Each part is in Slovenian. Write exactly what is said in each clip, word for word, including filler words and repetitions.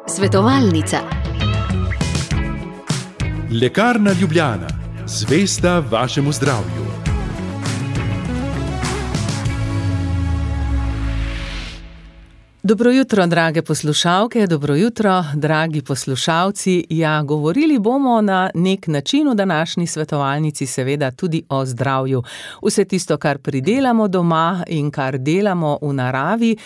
Svetovalnica. Lekarna Ljubljana, zvesta vašemu zdravju. Dobro jutro, drage poslušalke, dobro jutro, dragi poslušalci. Ja, govorili bomo na nek način v današnji svetovalnici seveda tudi o zdravju. Vse tisto, kar pridelamo doma in kar delamo v naravi,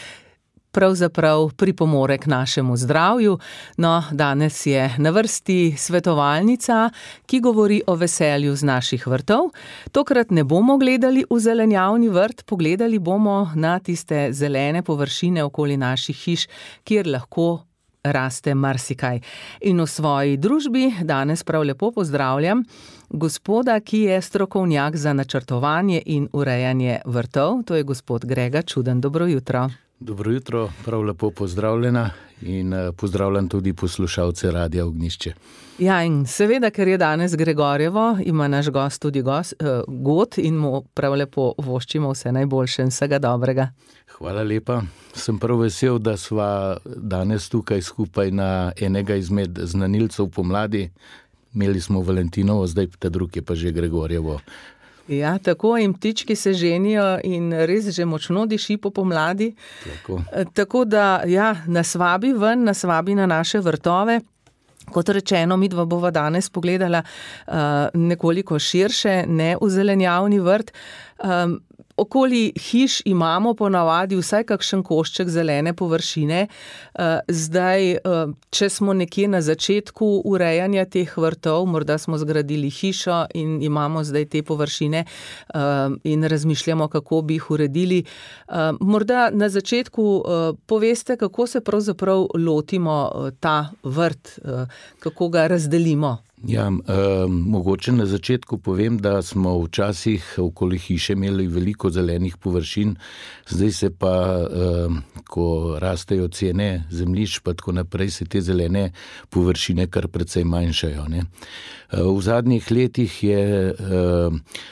pravzaprav pripomore k našemu zdravju. No, danes je na vrsti svetovalnica, ki govori o veselju z naših vrtov. Tokrat ne bomo gledali v zelenjavni vrt, pogledali bomo na tiste zelene površine okoli naših hiš, kjer lahko raste marsikaj. In v svoji družbi danes prav lepo pozdravljam gospoda, ki je strokovnjak za načrtovanje in urejanje vrtov. To je gospod Grega Čuden. Dobro jutro. Dobro jutro, prav lepo pozdravljena in pozdravljam tudi poslušalce Radia Ognjišče. Ja, in seveda, ker je danes Gregorjevo, ima naš gost tudi gost, uh, god in mu prav lepo voščimo vse najboljše in vsega dobrega. Hvala lepa. Sem prav vesel, da sva danes tukaj skupaj na enega izmed znanilcev pomladi. Imeli smo Valentinovo, zdaj ta drug je pa že Gregorjevo. Ja, tako in ptički se ženijo in res že močno diši po pomladi. Tako. Tako da, ja, nas vabi ven, nas vabi na naše vrtove. Kot rečeno, midva bova danes pogledala uh, nekoliko širše, ne v zelenjavni vrt. Um, Okoli hiš imamo ponavadi vsaj kakšen košček zelene površine. Zdaj, če smo nekje na začetku urejanja teh vrtov, morda smo zgradili hišo in imamo zdaj te površine in razmišljamo, kako bi jih uredili. Morda na začetku poveste, kako se pravzaprav lotimo ta vrt, kako ga razdelimo. Ja, eh, mogoče na začetku povem, da smo včasih okoli hiše imeli veliko zelenih površin, zdaj se pa, eh, ko rastejo cene zemljišč, pa tako naprej, se te zelene površine kar precej manjšajo, ne. Eh, v zadnjih letih je eh,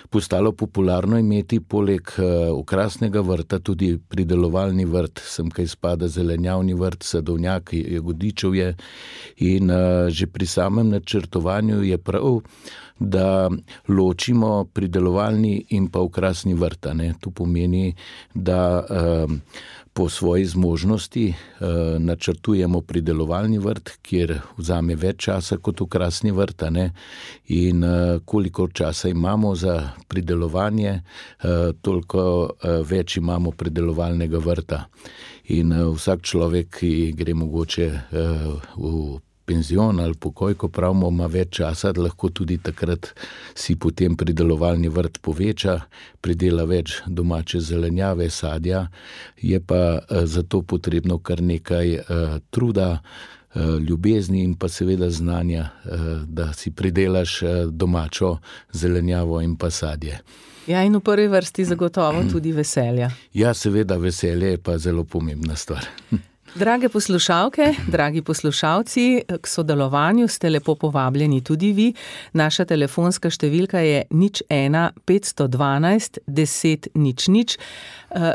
postalo popularno imeti poleg eh, okrasnega vrta tudi pridelovalni vrt, sem kaj spada zelenjavni vrt, sadovnjak, jagodičevje in eh, že pri samem načrtovanju je prav, da ločimo pridelovalni in pa okrasni vrt. Ne. To pomeni, da eh, po svoji zmožnosti eh, načrtujemo pridelovalni vrt, kjer vzame več časa kot okrasni vrt. Ne. In eh, koliko časa imamo za pridelovanje, eh, toliko eh, več imamo pridelovalnega vrta. In eh, vsak človek, ki gre mogoče eh, v penzion ali pokoj, ko pravimo, ima več časa, da lahko tudi takrat si potem pridelovalni vrt poveča, pridela več domače zelenjave, sadja, je pa zato potrebno kar nekaj uh, truda, uh, ljubezni in pa seveda znanja, uh, da si pridelaš uh, domačo zelenjavo in pa sadje. Ja, in v prvi vrsti zagotovo tudi veselja. Ja, seveda, veselje je pa zelo pomembna stvar. Drage poslušalke, dragi poslušalci, k sodelovanju ste lepo povabljeni tudi vi. Naša telefonska številka je nič ena petsto dvanajst deset nič nič.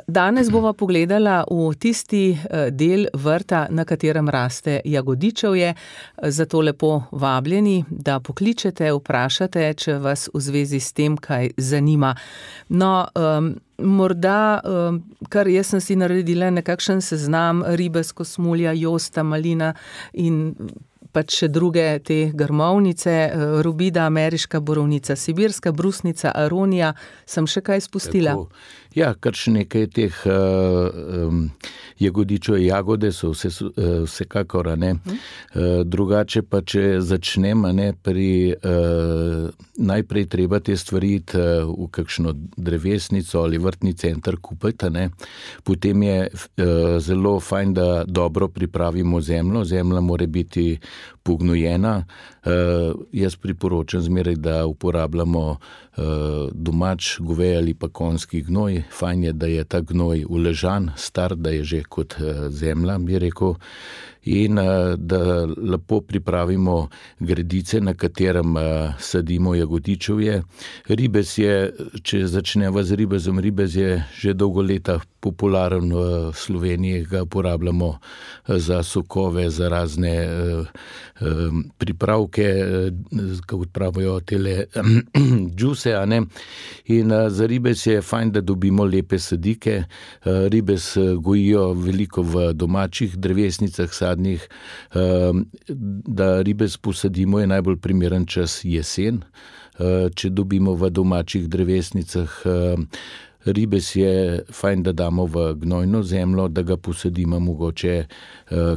Danes bova pogledala v tisti del vrta, na katerem raste jagodičevje. Zato lepo vabljeni, da pokličete, vprašate, če vas v zvezi s tem kaj zanima. No, um, morda, um, kar jaz sem si naredila nekakšen seznam, ribes, kosmulja, josta, malina in pač še druge te grmovnice, rubida, ameriška borovnica, sibirska brusnica, aronija, sem še kaj spustila? Tako. Ja, kar še nekaj teh uh, um, jagodičev, jagode so vse, uh, vsekakor, ne. Uh, drugače pa, če začnem, ne, pri uh, najprej treba te stvari uh, v kakšno drevesnico ali vrtni center kupiti, ne. Potem je uh, zelo fajn, da dobro pripravimo zemljo. Zemlja mora biti pognojena. Uh, jaz priporočam zmeraj, da uporabljamo uh, domač govej ali pa konjski gnoj. Fajn je, da je ta gnoj uležan, star, da je že kot uh, zemlja, bi rekel. in da lepo pripravimo gredice, na katerem sadimo jagodičevje. Ribez je, če začneva z ribezom, ribez je že dolgo leta popularen v Sloveniji, ga uporabljamo za sokove, za razne pripravke, kako pravijo tele džuse, a ne. In za ribez je fajn, da dobimo lepe sadike. Ribez gojijo veliko v domačih drevesnicah sadnih. Da ribez posadimo, je najbolj primeren čas jesen. Če dobimo v domačih drevesnicah, ribez je fajn, da damo v gnojno zemljo, da ga posadimo mogoče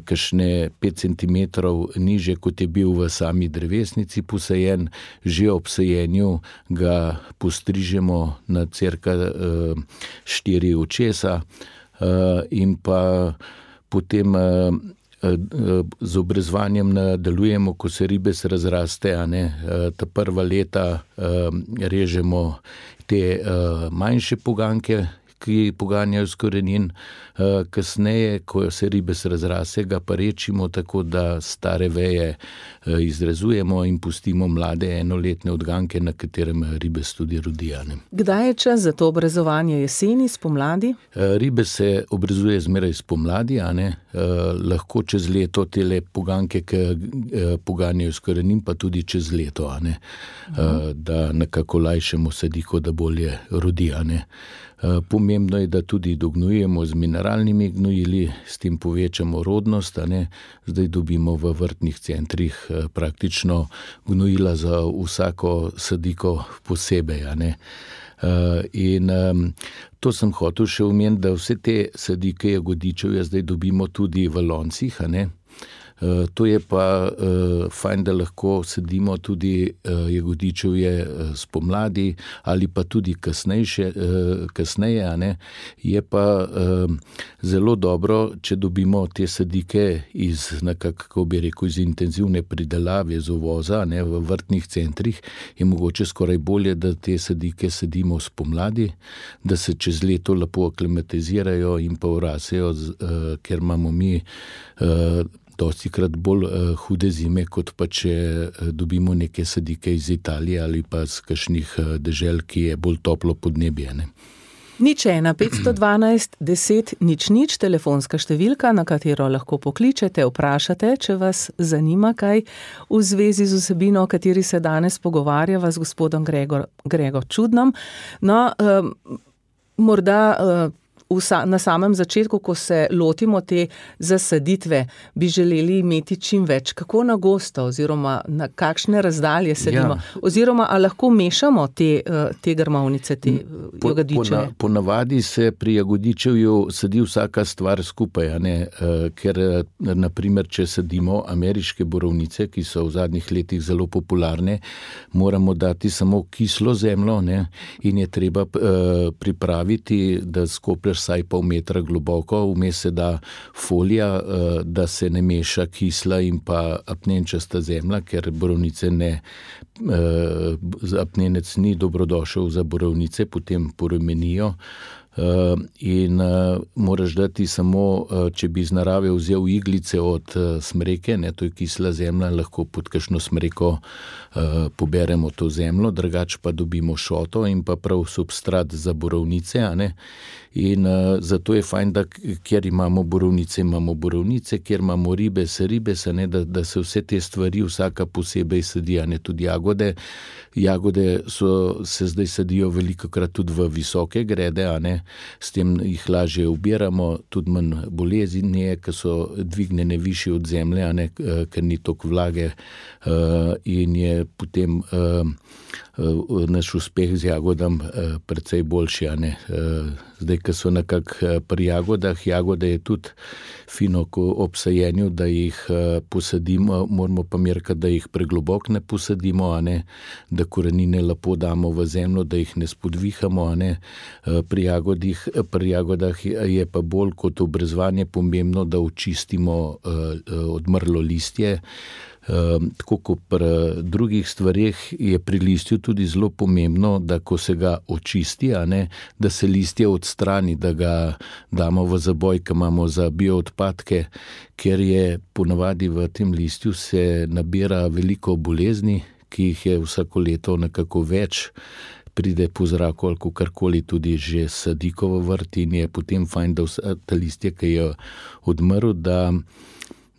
kakšne pet centimetrov niže, kot je bil v sami drevesnici posajen. Že ob sajenju ga postrižemo na cirka štiri očesa in pa potem z obrezovanjem nadaljujemo, ko se ribez razraste, a ne, ta prva leta režemo te manjše poganke, ki poganjajo s korenin. Kasneje, ko se ribez razraste, ga pa rečimo tako, da stare veje izrezujemo in pustimo mlade enoletne odganke, na katerem ribez tudi rodi. Kdaj je čas za to obrezovanje? Jeseni, spomladi? Ribez se obrezuje zmeraj spomladi, a ne. Lahko čez leto tele poganke, ki poganjajo s korenin, pa tudi čez leto, a ne. Uh-huh. Da nekako lajšamo sadiko, da bolje rodi, a ne. Pomembno je, da tudi dognujemo z mineralnimi gnojili, s tem povečamo rodnost, a ne. Zdaj dobimo v vrtnih centrih praktično gnojila za vsako sadiko posebej, a ne. In to sem hotel še omeniti, da vse te sadike jagodičevja zdaj dobimo tudi v loncih, a ne. To je pa uh, fajn, da lahko sadimo tudi uh, jagodičevje spomladi ali pa tudi kasnejše, uh, kasneje, a ne. Je pa uh, zelo dobro, če dobimo te sadike iz, nekako, kako bi rekel, iz intenzivne pridelave, z uvoza, ne, v vrtnih centrih, je mogoče skoraj bolje, da te sadike sadimo spomladi, da se čez leto lepo aklimatizirajo in pa vrasejo, uh, ker imamo mi uh, dostikrat bolj uh, hude zime, kot pa če uh, dobimo neke sadike iz Italije ali pa z kakšnih uh, dežel, ki je bolj toplo podnebje, ne. Nič ena, petsto dvanajst, deset, nič nič, telefonska številka, na katero lahko pokličete, vprašate, če vas zanima kaj v zvezi z vsebino, o kateri se danes pogovarjava z gospodom Gregor, Gregor Čudnom. No, um, morda uh, na samem začetku, ko se lotimo te zasaditve, bi želeli imeti čim več. Kako na gosto oziroma na kakšne razdalje sadimo? Ja. Oziroma, a lahko mešamo te, te grmovnice, te po, jagodičeje? Po, po navadi se pri jagodičevju sadi vsaka stvar skupaj, a ne? Ker, naprimer, če sadimo ameriške borovnice, ki so v zadnjih letih zelo popularne, moramo dati samo kislo zemljo, ne? In je treba uh, pripraviti, da skoplješ vsaj pol metra globoko, vmes se da folija, da se ne meša kisla in pa apnenčasta zemlja, ker borovnice ne, apnenec ni dobrodošel za borovnice, potem porumenijo. Uh, in uh, moraš dati samo, uh, če bi iz narave vzel iglice od uh, smreke, ne, to je kisla zemlja, lahko pod kakšno smreko uh, poberemo to zemljo, drugače pa dobimo šoto in pa prav substrat za borovnice, a ne. In uh, zato je fajn, da kjer imamo borovnice, imamo borovnice, kjer imamo ribez, ribez, a ne, da, da se vse te stvari vsaka posebej sadi, a ne, tudi jagode. Jagode so, se zdaj sadijo velikokrat tudi v visoke grede, a ne. S tem jih lažje ubiramo, tudi manj bolezni je, ker so dvignjene višje od zemlje, a ne, ker ni toliko vlage, in je potem naš uspeh z jagodam precej boljši, a ne. Zdaj, ko so nekako pri jagodah, jagode je tudi fino ob sajenju, da jih posadimo, moramo pa merkati, da jih pregloboko ne posadimo, a ne, da korenine lepo damo v zemljo, da jih ne spodvihamo, a ne. Pri jagodih, pri jagodah je pa bolj kot obrezovanje pomembno, da očistimo odmrlo listje. Tako kot pri drugih stvareh je pri listju tudi zelo pomembno, da ko se ga očisti, a ne, da se listje odstrani, da ga damo v zaboj, ki imamo za bioodpadke, ker je ponavadi v tem listju se nabira veliko bolezni, ki jih je vsako leto nekako več, pride po zraku ali kakorkoli tudi že sadikovo vrt in je potem fajn, da vsa ta listje, ki je odmrl, da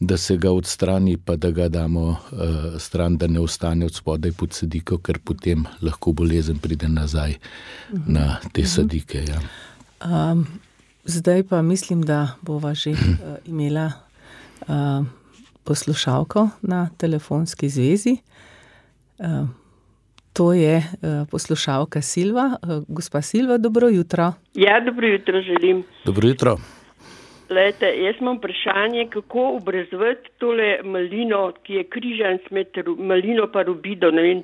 da se ga odstrani, pa da ga damo uh, stran, da ne ostane od spodaj pod sadiko, ker potem lahko bolezen pride nazaj uh-huh. na te sadike. Ja. Um, zdaj pa mislim, da bova že uh, imela uh, poslušalko na telefonski zvezi. Uh, to je uh, poslušalka Silva. Uh, gospa Silva, dobro jutro. Ja, dobro jutro želim. Dobro jutro. Lejte, jaz imam vprašanje, kako obrezovati tole malino, ki je križan med malino pa rubido, ne vem,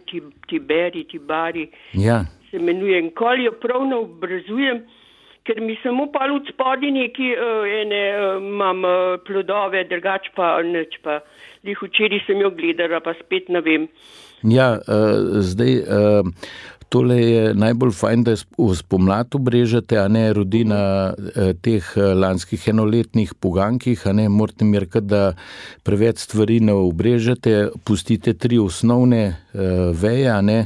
tiberi, tibari, ja. se imenuje. Nikoli jo prav ne obrezujem, ker mi samo pa od spodi neki uh, ene, uh, imam uh, plodove, drugač pa neč pa. Lih včeraj sem jo gledala, pa spet ne vem. Ja, uh, zdaj... Uh, Tole je najbolj fajn, da spomlad obrežete, a ne rodi na eh, teh lanskih enoletnih pogankih, a ne morate merkati, da preveč stvari ne obrežete, pustite tri osnovne eh, veje, a ne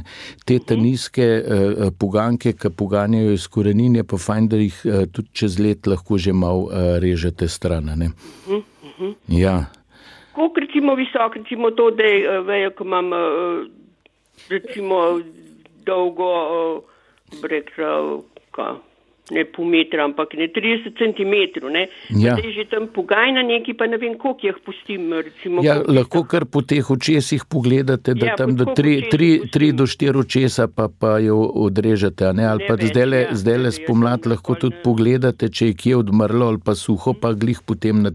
te teniske eh, poganke, ki poganjajo iz korenin, je pa fajn, da jih eh, tudi čez let lahko že malo eh, režete stran, a ne. Uh-huh, uh-huh. Ja. Koliko recimo visok, recimo to, da je vejo, ko imam uh, recimo dolgo, rekla, ne pol metra, ampak ne trideset centimetrov, ne. Ja. Zdaj že tam pogajna neki, pa ne vem, koliko jih pustim, recimo. Ja, lahko kar po teh očesih pogledate, da ja, tam do tri, tri, tri do štiri očesa pa, pa jo odrežete, a ne, ali ne pa zdajle, ja, zdajle spomlad lahko tudi ja. Pogledate, če je kje odmrlo ali pa suho, pa glih potem, na,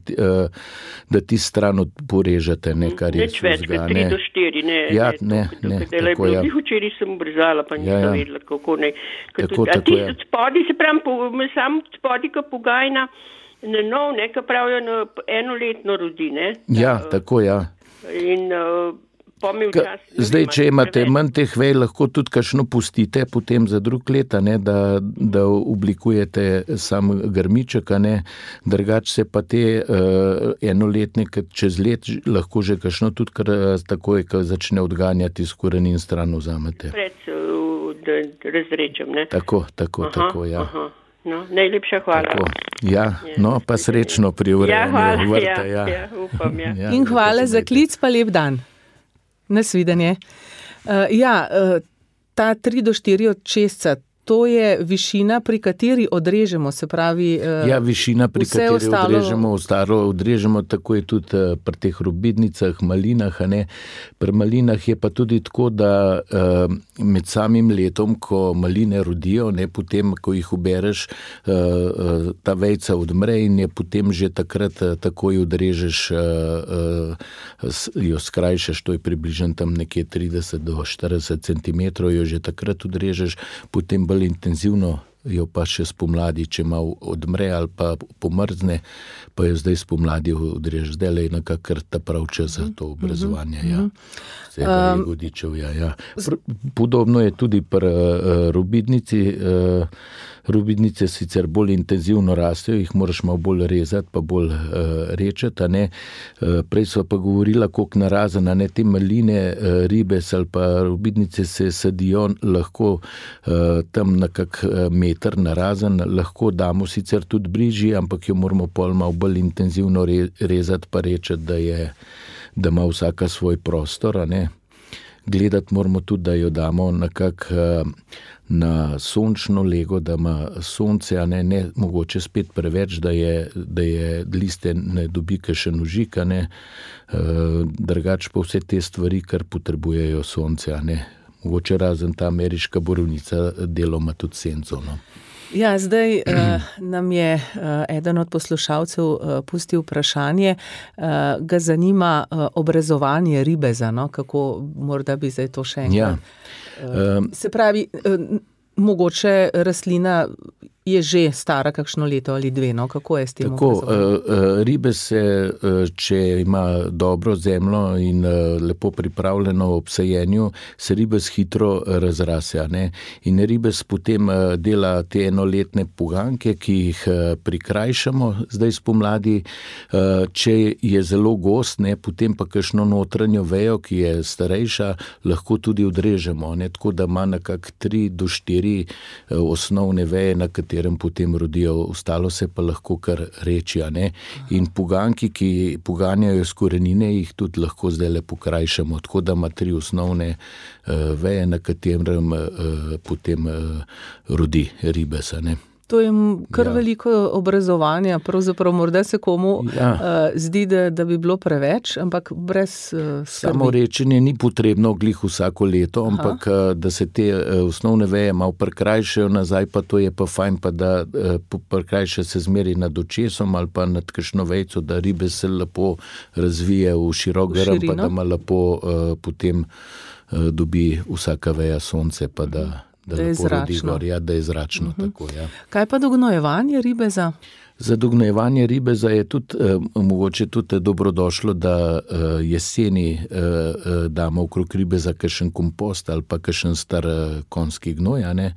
da ti stran porežete, ne, kar je sužga. Neč več, tri do štiri, ne. Ja, ne, ne, ne tako ja. Glih včeraj sem obrezala, pa nisem ja, ja. vedela, kako ne. Tako, tudi, tako a ti spodi se pravim, sam spodika pogajna na nov, ne, ka pravijo na enoletno rodi, ne. Ja, uh, tako, ja. In uh, pomil ka, čas... Zdaj, če imate manj teh vej, lahko tudi kakšno pustite potem za drug let, ne, da, da oblikujete sam grmiček, ne, drugač se pa te uh, enoletne, čez let lahko že kakšno tudi kar takoj, ko začne odganjati iz korenin stran vzamete. Pred, uh, da razrečem, ne. Tako, tako, aha, tako, ja. Aha. No, najlepša hvala. Tako, ja, no, pa srečno pri urejanju ja, vrta. Ja, ja. ja, upam, ja. ja In hvala za klic, pa lep dan. Nasvidenje. Uh, ja, uh, ta tri do štiri očesca, to je višina, pri kateri odrežemo, se pravi... Uh, ja, višina, pri kateri ostalo... odrežemo, ostalo odrežemo, tako je tudi uh, pri teh rubidnicah, malinah, a ne. Pri malinah je pa tudi tako, da uh, med samim letom, ko maline rodijo, ne, potem, ko jih ubereš, uh, uh, ta vejca odmre in je potem že takrat uh, takoj odrežeš, uh, uh, jo skrajšaš, to je približno tam nekje trideset do štirideset centimetrov, jo že takrat odrežeš, potem bolj intenzivno jo pa še spomladi, če malo odmre ali pa pomrzne, pa jo zdaj spomladi odrežeš. Zdaj le je nekakr ta prav čas za to obrezovanje. Ja. Vsega je godičev, ja, ja. Podobno je tudi pri uh, rubidnici. Uh, rubidnice sicer bolj intenzivno rastejo, jih moraš malo bolj rezati, pa bolj uh, rečeti, a ne. Uh, prej sva pa govorila, koliko narazen, a ne, te maline, uh, ribes ali pa rubidnice se sadijo lahko uh, tam na kak uh, meter narazen, lahko damo sicer tudi bližji, ampak jo moramo pol malo bolj intenzivno re, rezati, pa rečeti, da je, da ima vsaka svoj prostor, a ne. Gledati moramo tudi, da jo damo nekak uh, na sončno lego, da ima sonce, a ne, ne mogoče spet preveč, da je, da je liste ne dobi kakšen užik, a ne, e, drugač pa vse te stvari, kar potrebujejo sonce, a ne. Mogoče razen ta ameriška borovnica deloma tudi senco, no. Ja, zdaj uh, nam je uh, eden od poslušalcev uh, pustil vprašanje, uh, ga zanima uh, obrezovanje ribeza, no, kako morda bi zdaj to še enkrat. Ja. Uh, se pravi, uh, mogoče rastlina je že stara kakšno leto ali dve, no, kako je s tem? Tako, uh, ribe se, uh, če ima dobro zemljo in uh, lepo pripravljeno ob sajenju, se ribes hitro razrase, ne? In ribes potem uh, dela te enoletne poganke, ki jih uh, prikrajšamo zdaj spomladi. Uh, če je zelo gost, ne, potem pa kakšno notranjo vejo, ki je starejša, lahko tudi odrežemo, ne? Tako da ima nekak tri do štiri uh, osnovne veje, na katerem potem rodijo, ostalo se pa lahko kar reči, a ne. In poganki, ki poganjajo z korenine, jih tudi lahko zdaj le pokrajšamo, tako da ima tri osnovne uh, veje, na katerem uh, potem uh, rodi ribes, a ne. To je kar ja. veliko obrazovanja, pravzaprav morda se komu ja. uh, zdi, da, da bi bilo preveč, ampak brez uh, skrbi. Samo rečenje ni potrebno glih vsako leto, ampak uh, da se te uh, osnovne veje malo prekrajšajo nazaj, pa to je pa fajn, pa da uh, prekrajša se zmeri nad očesom ali pa nad kakšno vejco, da ribe se lepo razvije v širok grm, pa da ima lepo uh, potem uh, dobi vsaka veja sonce, pa da Da, da je zračno. Gor, ja, da je zračno uh-huh. tako, ja. Kaj pa dognojevanje ribeza? Za dognojevanje ribeza je tudi eh, mogoče tudi dobrodošlo, da eh, jeseni eh, damo okrog ribeza kakšen kompost ali pa kakšen star eh, konjski gnoj, a ne.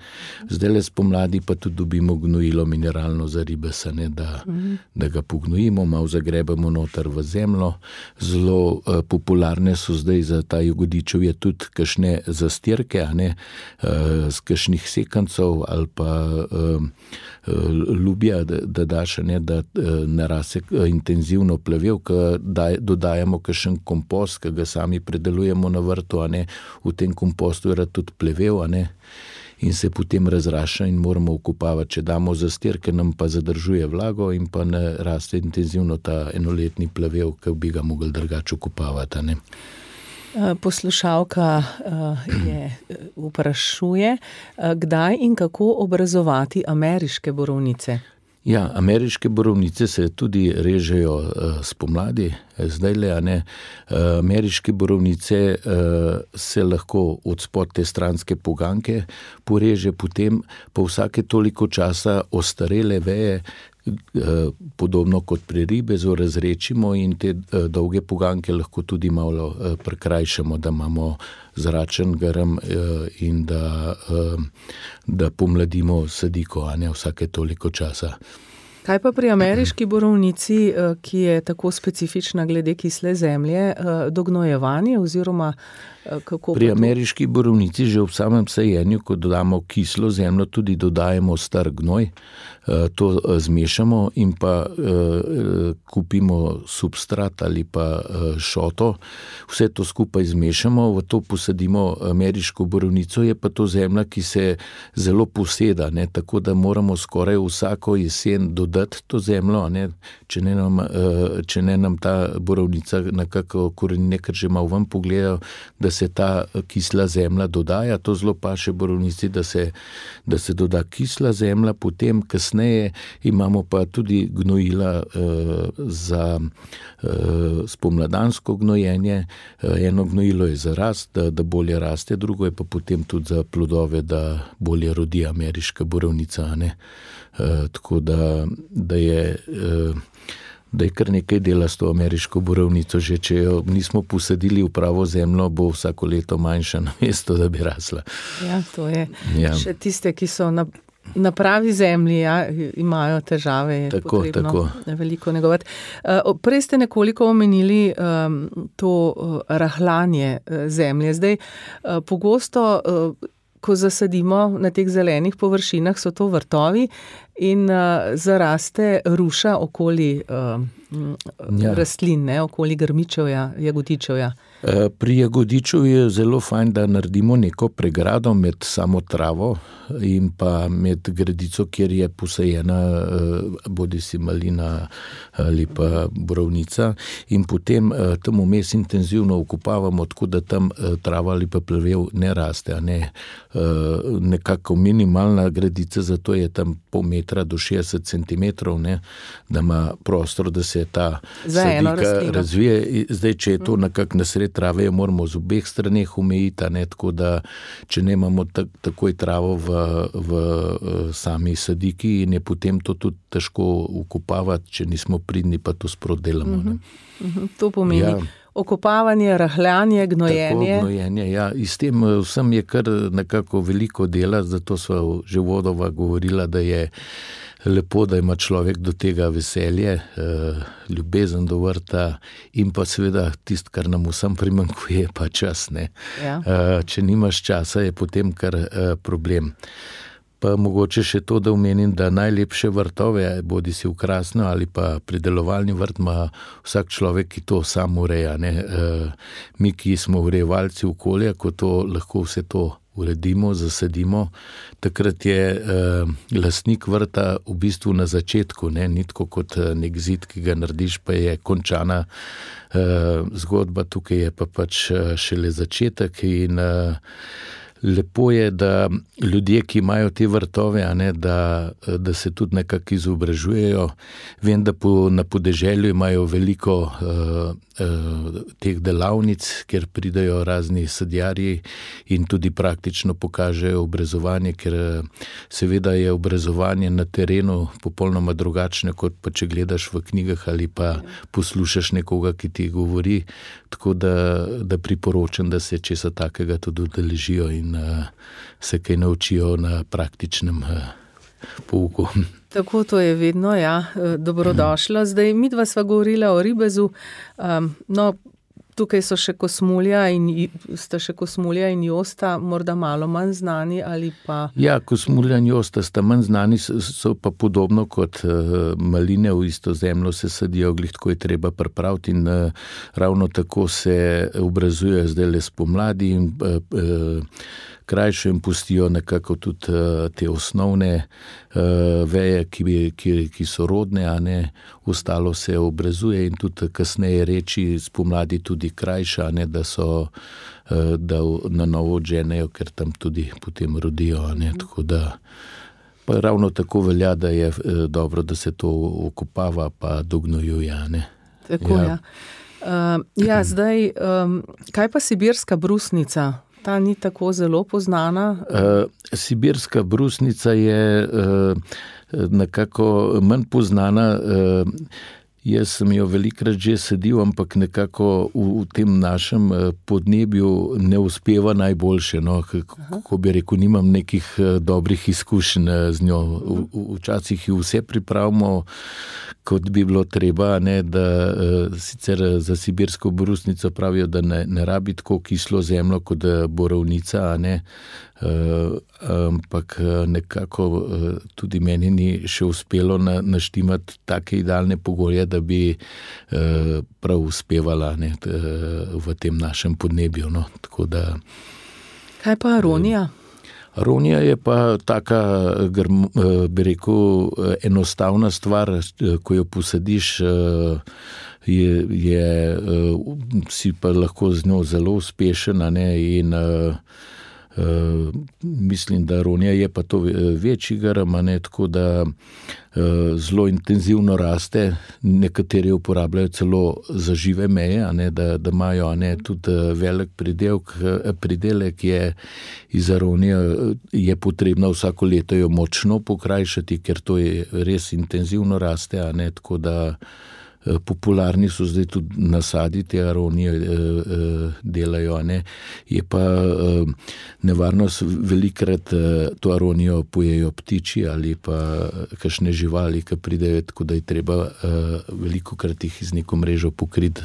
Zdaj le spomladi pa tudi dobimo gnojilo mineralno za ribeza, ne, da, uh-huh. da ga pognojimo, malo zagrebamo noter v zemljo. Zelo eh, popularne so zdaj za ta jagodičev je tudi kakšne zastirke, a ne, eh, z kakšnih sekancov ali pa eh, lubja, da, da daš, ne, da narase intenzivno plevel, ko dodajamo kakšen kompost, ki ga sami predelujemo na vrtu, a ne, v tem kompostu je tudi plevel, a ne, in se potem razraša in moramo okopavati. Če damo zastirke, nam pa zadržuje vlago in pa ne raste intenzivno ta enoletni plevel, ki bi ga mogli drugače okopavati, a ne. Poslušalka je vprašuje, kdaj in kako obrazovati ameriške borovnice? Ja, ameriške borovnice se tudi režejo spomladi, zdaj le, a ne. Ameriške borovnice se lahko od spod te stranske poganke poreže, potem po vsake toliko časa ostarele veje, podobno kot pri ribezu, razrečimo in te dolge poganke lahko tudi malo prekrajšamo, da imamo zračen grm in da, da pomladimo sadiko, a ne, vsake toliko časa. Kaj pa pri ameriški borovnici, ki je tako specifična glede kisle zemlje, dognojevanje oziroma kako? Pri ameriški borovnici že ob samem sajenju, ko dodamo kislo zemljo, tudi dodajemo star gnoj, to zmešamo in pa kupimo substrat ali pa šoto, vse to skupaj zmešamo, v to posadimo ameriško borovnico, je pa to zemlja, ki se zelo poseda, ne, tako da moramo skoraj vsako jesen dodati to zemljo, ne, če ne nam, če ne nam ta borovnica nekako korenine, ker že malo ven pogledajo, da se ta kisla zemlja dodaja, to zelo paše borovnici, da se, da se doda kisla zemlja, potem kasneje imamo pa tudi gnojila eh, za eh, spomladansko gnojenje, eh, eno gnojilo je za rast, da, da bolje raste, drugo je pa potem tudi za plodove, da bolje rodi ameriška borovnica, ne. Eh, tako da, da je eh, da je kar nekaj dela s to ameriško borovnico, že če jo nismo posadili v pravo zemljo, bo vsako leto manjša na mesto, da bi rasla. Ja, to je. Ja. Še tiste, ki so na, na pravi zemlji, ja, imajo težave, je tako, potrebno tako. veliko negovati. Prej ste nekoliko omenili um, to rahljanje zemlje. Zdaj, pogosto ko zasadimo na teh zelenih površinah, so to vrtovi in uh, zaraste ruša okoli uh, ja. rastlin, ne, okoli grmičevja, jagodičevja. Pri jagodiču je zelo fajn, da naredimo neko pregrado med samo travo in pa med gredico, kjer je posajena bodi si malina ali pa borovnica, in potem tam vmes intenzivno okopavamo, tako da tam trava ali pa plevel ne raste, a ne. Nekako minimalna gredica, zato je tam pol metra do šestdeset centimetrov, ne, da ima prostor, da se ta sadika razvije. Zdaj, če je to nekako nasred trave jo moramo z obeh straneh omejiti, ne, tako da če ne imamo tak, takoj travo v, v sami sadiki in je potem to tudi težko ukopavati, če nismo pridni, pa to sprot delamo. Ne. Uh-huh. To pomeni ja. okopavanje, rahljanje, gnojenje. Tako, gnojenje, ja. In s tem vsem je kar nekako veliko dela, zato sva že vodova govorila, da je lepo, da ima človek do tega veselje, ljubezen do vrta in pa seveda tist, kar nam vsem primanjkuje, pa čas. Ne. Ja. Če nimaš časa, je potem kar problem. Pa mogoče še to, da omenim, da najlepše vrtove, bodi si v Krasno ali pa pridelovalni vrt, ima vsak človek, ki to sam ureja. Ne. Mi, ki smo urejevalci okolja, ko to lahko vse to uredimo, zasadimo, takrat je eh, lastnik vrta v bistvu na začetku, ne, ni tako kot nek zid, ki ga narediš, pa je končana eh, zgodba, tukaj je pa pač šele začetek in eh, lepo je, da ljudje, ki imajo te vrtove, a ne, da, da se tudi nekako izobražujejo. Vem, da po, na podeželju imajo veliko uh, uh, teh delavnic, kjer pridajo razni sadjarji in tudi praktično pokažejo obrezovanje, ker seveda je obrezovanje na terenu popolnoma drugačno, kot pa če gledaš v knjigah ali pa poslušaš nekoga, ki ti govori. Tako da, da priporočam, da se česa takega tudi udeležijo in uh, se kaj naučijo na praktičnem uh, pouku. Tako to je vedno, ja, dobrodošlo. Zdaj, midva sva govorila o ribezu, um, no, tukaj so še kosmulja in, sta še kosmulja in josta, morda malo manj znani ali pa... Ja, kosmulja in josta sta manj znani, so pa podobno kot uh, maline v isto zemljo se sadijo, glih tako je treba pripraviti in uh, ravno tako se obrazujejo zdaj le spomladi in uh, uh, krajšo in pustijo nekako tudi uh, te osnovne uh, veje, ki, ki, ki so rodne, a ne, ostalo se obrazuje in tudi kasneje reči spomladi tudi krajša, ne, da so uh, da na novo odženejo, ker tam tudi potem rodijo, a ne, tako da pa ravno tako velja, da je uh, dobro, da se to okopava pa dognojuje, ne. Tako, ja. Ja, uh, ja zdaj, um, kaj pa sibirska brusnica? Ta ni tako zelo poznana. Uh, sibirska brusnica je uh, nekako manj poznana. Uh, jaz sem jo velikrat že sadil, ampak nekako v, v tem našem podnebju ne uspeva najboljše. No. Kako bi rekel, nimam nekih dobrih izkušenj z njo. V, včasih jo vse pripravimo, kot bi bilo treba, ne, da sicer za sibirsko brusnico pravijo, da ne, ne rabi tako kislo zemljo kot borovnica, a ne, uh, ampak nekako uh, tudi meni ni še uspelo na, naštimati take idealne pogoje, da bi uh, prav uspevala, ne, t, uh, v tem našem podnebju. No. Tako da, kaj pa aronija? Aronija je pa taka, bi rekel, enostavna stvar, ko jo posadiš, je, je, si pa lahko z njo zelo uspešen, ne, in Uh, mislim, da aronija je pa to večji grm, ne, tako da uh, zelo intenzivno raste, nekateri uporabljajo celo za žive meje, ne, da, da imajo, ne, tudi velik pridelk, pridelek je iz aronije, je potrebno vsako leto jo močno pokrajšati, ker to je res intenzivno raste, a ne, tako da popularni so zdaj tudi nasadi te aronije delajo, ne. Je pa nevarnost velikrat to aronijo pojejo ptiči ali pa kakšne živali, ki pridejo, tako da je treba velikokrat jih z neko mrežo pokriti,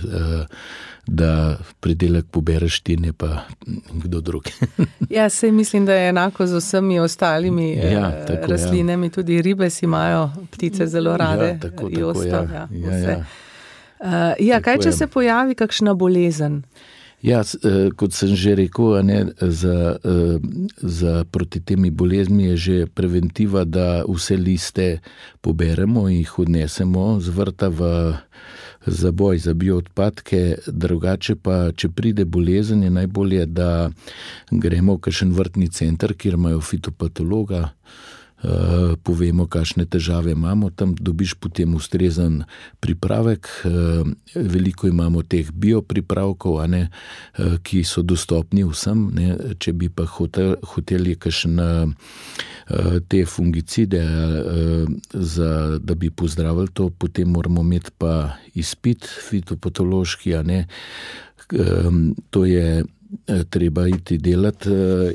da pridelek pobereš ti, ne pa kdo drug. Ja, sej mislim, da je enako z vsemi ostalimi ja, tako, rastlinami, ja. Tudi ribe si imajo ptice zelo rade. Ja, tako, tako, josta, ja. Ja, ja, ja. Uh, ja, kaj, če se pojavi kakšna bolezen? Ja, kot sem že rekel, ne, za, za proti temi bolezni je že preventiva, da vse liste poberemo in jih odnesemo z vrta v zaboj za bioodpadke, drugače pa, če pride bolezen, je najbolje, da gremo v kakšen vrtni center, kjer imajo fitopatologa, povemo, kakšne težave imamo, tam dobiš potem ustrezen pripravek. Veliko imamo teh biopripravkov, a ne, ki so dostopni vsem, ne. Če bi pa hotel, hoteli kakšne te fungicide, za, da bi pozdravili to, potem moramo imeti pa izpit fitopatološki, a ne. To je treba iti delati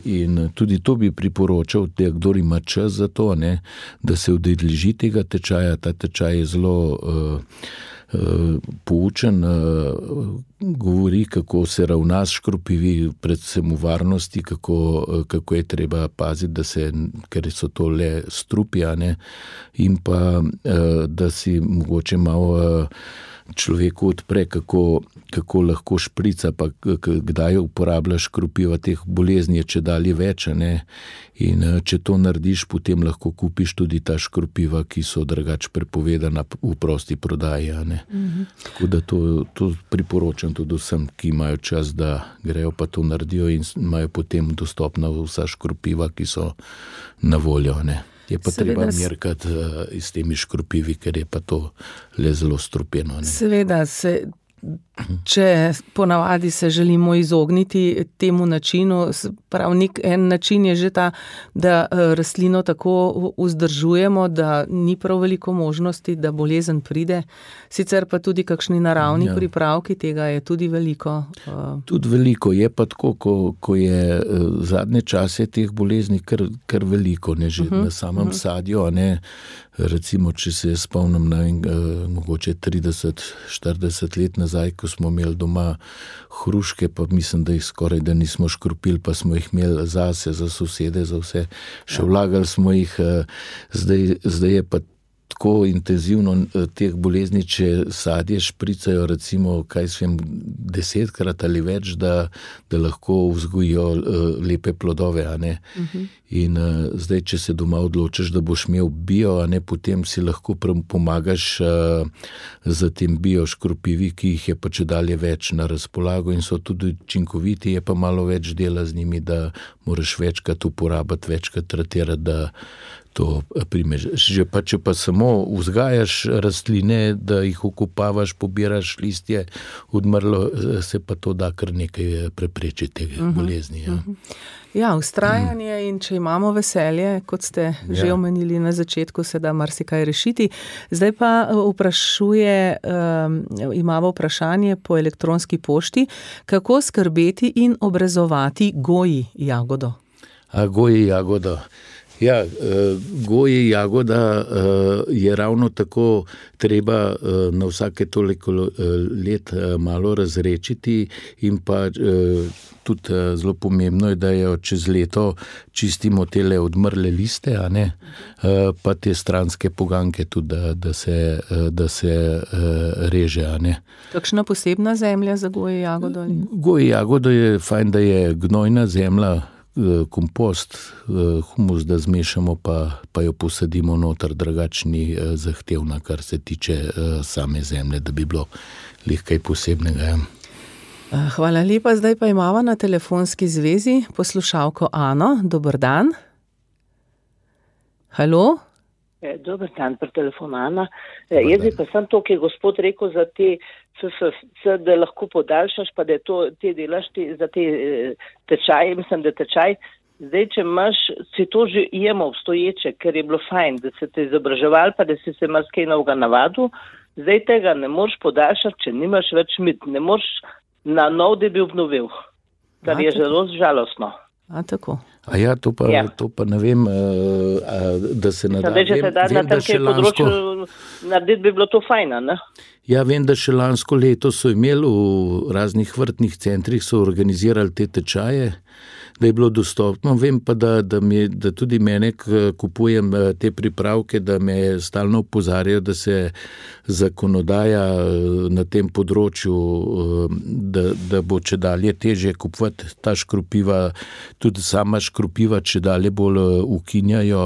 in tudi to bi priporočal, da kdor ima čas za to, ne, da se udeleži tega tečaja. Ta tečaj je zelo uh, uh, poučen, uh, govori, kako se ravna s škropivi, predvsem v varnosti, kako, uh, kako je treba paziti, da se, ker so to le strupi, a ne, in pa, uh, da si mogoče malo uh, človeku odpre, kako, kako lahko šprica, pa kdaj uporablja škropiva. Teh bolezni je čedalje več, ne? In če to narediš, potem lahko kupiš tudi ta škropiva, ki so drugače prepovedana v prosti prodaji. Ne? Mm-hmm. Tako da to, to priporočam tudi vsem, ki imajo čas, da grejo pa to naredijo in imajo potem dostopna vsa škropiva, ki so na voljo. Ne? Je pa seveda treba merkati uh, s temi škropivi, ker je pa to le zelo strupeno. Ne? Seveda, se, če ponavadi se želimo izogniti temu načinu, prav nek en način je že ta, da rastlino tako vzdržujemo, da ni prav veliko možnosti, da bolezen pride. Sicer pa tudi kakšni naravni ja. pripravki, tega je tudi veliko. Tudi veliko, je pa tako, ko, ko je zadnje čase teh bolezni kar, kar veliko, ne, že uh-huh, na samem uh-huh. sadju, a ne. Recimo, če se spomnim na en, mogoče trideset štirideset let nazaj, ko smo imeli doma hruške, pa mislim, da jih skoraj da nismo škropili, pa smo jih imeli zase, za sosede, za vse. Še vlagali smo jih, zdaj, zdaj je pa tako intenzivno teh bolezni, če sadje špricajo, recimo, kaj svem, desetkrat ali več, da, da lahko vzgojijo lepe plodove, a ne. Uh-huh. In uh, zdaj, če se doma odločiš, da boš imel bio, a ne, potem si lahko pomagaš uh, za tem bio škropivi, ki jih je pa čedalje več na razpolago in so tudi učinkoviti, je pa malo več dela z njimi, da moraš večkrat uporabiti, večkrat tratirati, da to primeš. Že pa, če pa samo vzgajaš rastline, da jih okopavaš, pobiraš listje, odmrlo, se pa to da kar nekaj preprečiti tega uh-huh, bolezni. Ja, uh-huh. ja ustrajanje uh-huh. in če imamo veselje, kot ste ja. že omenili na začetku, se da marsikaj rešiti. Zdaj pa vprašuje, um, imamo vprašanje po elektronski pošti, kako skrbeti in obrezovati goji jagodo? A goji jagodo. Ja, goji jagoda je ravno tako treba na vsake toliko let malo razrečiti in pa tudi zelo pomembno je, da jo čez leto čistimo tele odmrle liste, a ne, pa te stranske poganke tudi, da, da se, da se reže, a ne. Kakšna posebna zemlja za goji jagodo? Goji jagodo je fajn, da je gnojna zemlja, kompost, humus, da zmešamo, pa, pa jo posadimo noter, drugačni zahtevna, kar se tiče same zemlje, da bi bilo nekaj posebnega. Hvala lepa, zdaj pa imamo na telefonski zvezi poslušalko Ano. Dober dan. Halo? Dober dan, pri telefonu Ana. Jaz bi pa sem to, ki je gospod rekel za te C S C, da lahko podaljšaš, pa da to, te delaš te, za te tečaje, mislim, da tečaj. Zdaj, če imaš, si to že jemo obstoječe, ker je bilo fajn, da se te izobraževal, pa da si se marsikaj novega navadil. Zdaj tega ne moreš podaljšati, če nimaš več mit. Ne moreš na nov, da bi obnovil. Kar je zelo žalostno. A tako. A ja, to pa, ja. to pa ne vem, a, da se nada. Zdaj, če se da na tem področju narediti, bi bilo to fajna, ne? Ja, vem, da še lansko leto so imeli v raznih vrtnih centrih, so organizirali te tečaje, da je bilo dostopno. Vem pa, da, da, mi, da tudi mene kupujem te pripravke, da me stalno opozarjajo, da se zakonodaja na tem področju, da, da bo čedalje težje kupovati ta škropiva, tudi sama škropiva čedalje bolj ukinjajo,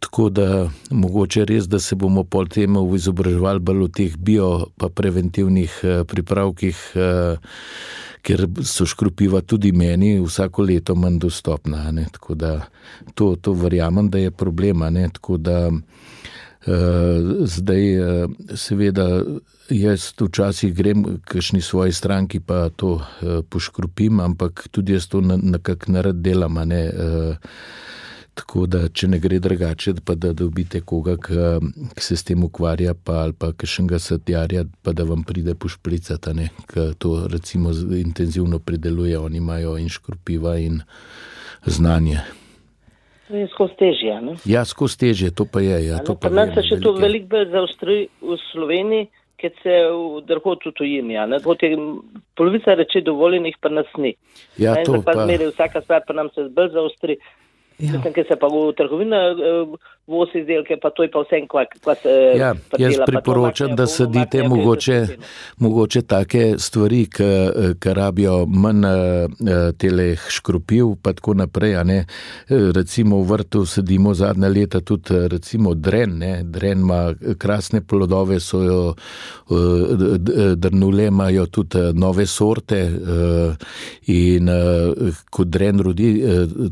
tako da mogoče res, da se bomo pol temu izobraževali bolj o teh bio pa preventivnih pripravkih, ker so škropiva tudi meni vsako leto manj dostopna, ne, tako da to, to verjamem, da je problema, ne, tako da uh, zdaj uh, seveda jaz včasih grem k kakšni svoji stranki pa to uh, poškropim, ampak tudi jaz to nekako narad delam, ne, uh, tako da, če ne gre drugače, pa da dobite koga, ki se s tem ukvarja, pa ali pa kakšnega sadjarja, pa da vam pride pošpricati, ne, ki to recimo intenzivno prideluje, oni imajo in škropiva in znanje. To je skozi težje, ne? Ja, skozi težje, to pa je, ja. To pa pa nas se še to veliko bolj zaostri v Sloveniji, ker se v drugod v tujini, ja, ne? Drugod je polovica reči dovoljenih, pa nas ni. Ja, ne? to pa... pa... Zmeri, vsaka stvar pa nam se bolj zaostri. Ja. Mislim, ker se pa v trgovina uh, vozi izdelke, pa to je pa vsem, kva, kva se ja, prdela. Jaz priporočam, da sadite mogoče, mogoče take stvari, ki rabijo manj teleh škropiv, pa tako naprej, a ne. Recimo v vrtu sadimo zadnja leta tudi recimo dren, ne. Dren ima krasne plodove, so jo drnule, imajo tudi nove sorte in ko dren rodi,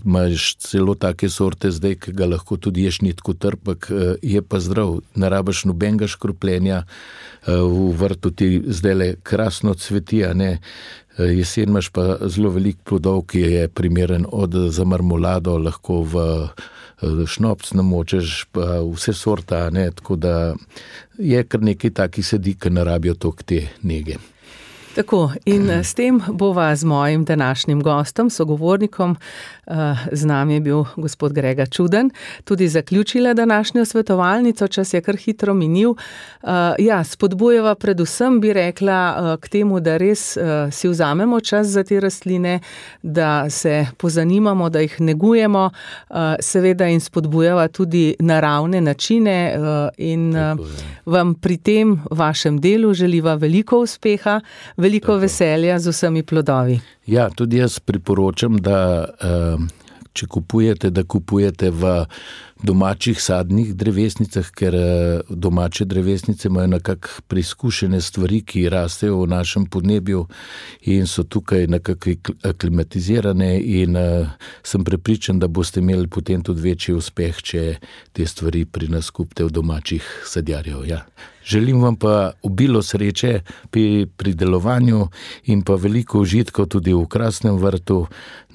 imaš celo take sorte zdaj, ki ga lahko tudi ješ ni tako trpek, je pa zdrav, ne rabiš nobenega škropljenja, v vrtu ti zdajle krasno cveti, a ne, jesen imaš pa zelo veliko plodov, ki je primeren od za marmolado, lahko v šnopc namočeš, pa vse sorta, a ne, tako da je kar nekaj takih sedi, ki ne rabijo toliko te nege. Tako, in s tem bova z mojim današnjim gostom, sogovornikom, z nami je bil gospod Grega Čuden, tudi zaključila današnjo svetovalnico, čas je kar hitro minil. Ja, spodbujeva predvsem, bi rekla, k temu, da res si vzamemo čas za te rastline, da se pozanimamo, da jih negujemo, seveda in spodbujeva tudi naravne načine in vam pri tem vašem delu želiva veliko uspeha, veliko Tako. veselja z vsemi plodovi. Ja, tudi jaz priporočam, da če kupujete, da kupujete v domačih sadnih drevesnicah, ker domače drevesnice imajo nekako preizkušene stvari, ki rastejo v našem podnebju in so tukaj nekako aklimatizirane in sem prepričan, da boste imeli potem tudi večji uspeh, če te stvari pri nas kupite v domačih sadjarjev. Ja. Želim vam pa obilo sreče pri pridelovanju in pa veliko užitkov tudi v krasnem vrtu.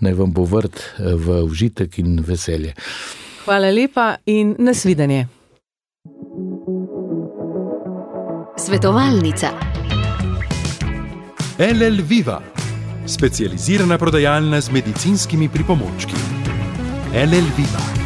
Naj vam bo vrt v užitek in veselje. Hvala lepa in nasvidenje. Svetovalnica. L L Viva, specializirana prodajalna z medicinskimi pripomočki. L L Viva.